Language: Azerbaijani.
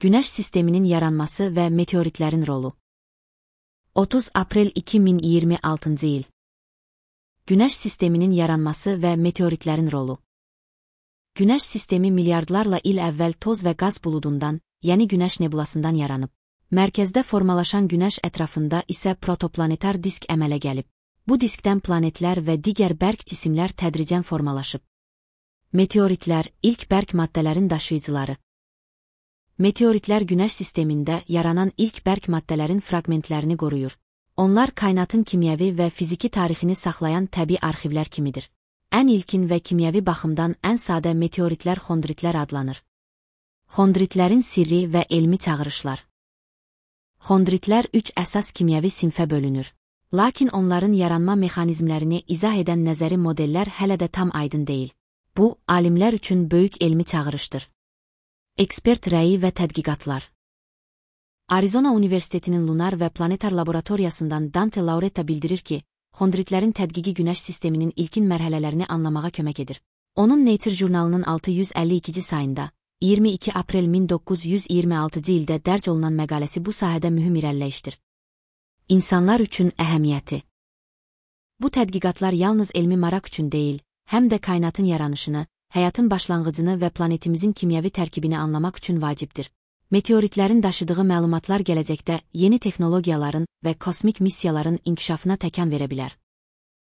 Günəş sisteminin yaranması və meteoritlərin rolu. 30 aprel 2026 il. Günəş sisteminin yaranması və meteoritlərin rolu. Günəş sistemi milyardlarla il əvvəl toz və qaz buludundan, yəni Günəş nebulasından yaranıb. Mərkəzdə formalaşan Günəş ətrafında isə protoplanetar disk əmələ gəlib. Bu diskdən planetlər və digər bərk cisimlər tədricən formalaşıb. Meteoritlər ilk bərk maddələrin daşıyıcıları. Meteoritlər Günəş sistemində yaranan ilk bərk maddələrin fraqmentlərini qoruyur. Onlar kainatın kimyəvi və fiziki tarixini saxlayan təbii arxivlər kimidir. Ən ilkin və kimyəvi baxımdan ən sadə meteoritlər xondritlər adlanır. Xondritlərin sirri və elmi çağırışlar. Xondritlər 3 əsas kimyəvi sinfə bölünür. Lakin onların yaranma mexanizmlərini izah edən nəzəri modellər hələ də tam aydın deyil. Bu, alimlər üçün böyük elmi çağırışdır. Ekspert rəyi və tədqiqatlar. Arizona Universitetinin Lunar və Planetar Laboratoriyasından Dante Lauretta bildirir ki, xondritlərin tədqiqi Günəş sisteminin ilkin mərhələlərini anlamağa kömək edir. Onun Nature jurnalının 652-ci sayında, 22 aprel 1926-cı ildə dərc olunan məqaləsi bu sahədə mühüm irəliləyişdir. İnsanlar üçün əhəmiyyəti. Bu tədqiqatlar yalnız elmi maraq üçün deyil, həm də kainatın yaranışını, həyatın başlanğıcını və planetimizin kimyəvi tərkibini anlamaq üçün vacibdir. Meteoritlərin daşıdığı məlumatlar gələcəkdə yeni texnologiyaların və kosmik missiyaların inkişafına təkan verə bilər.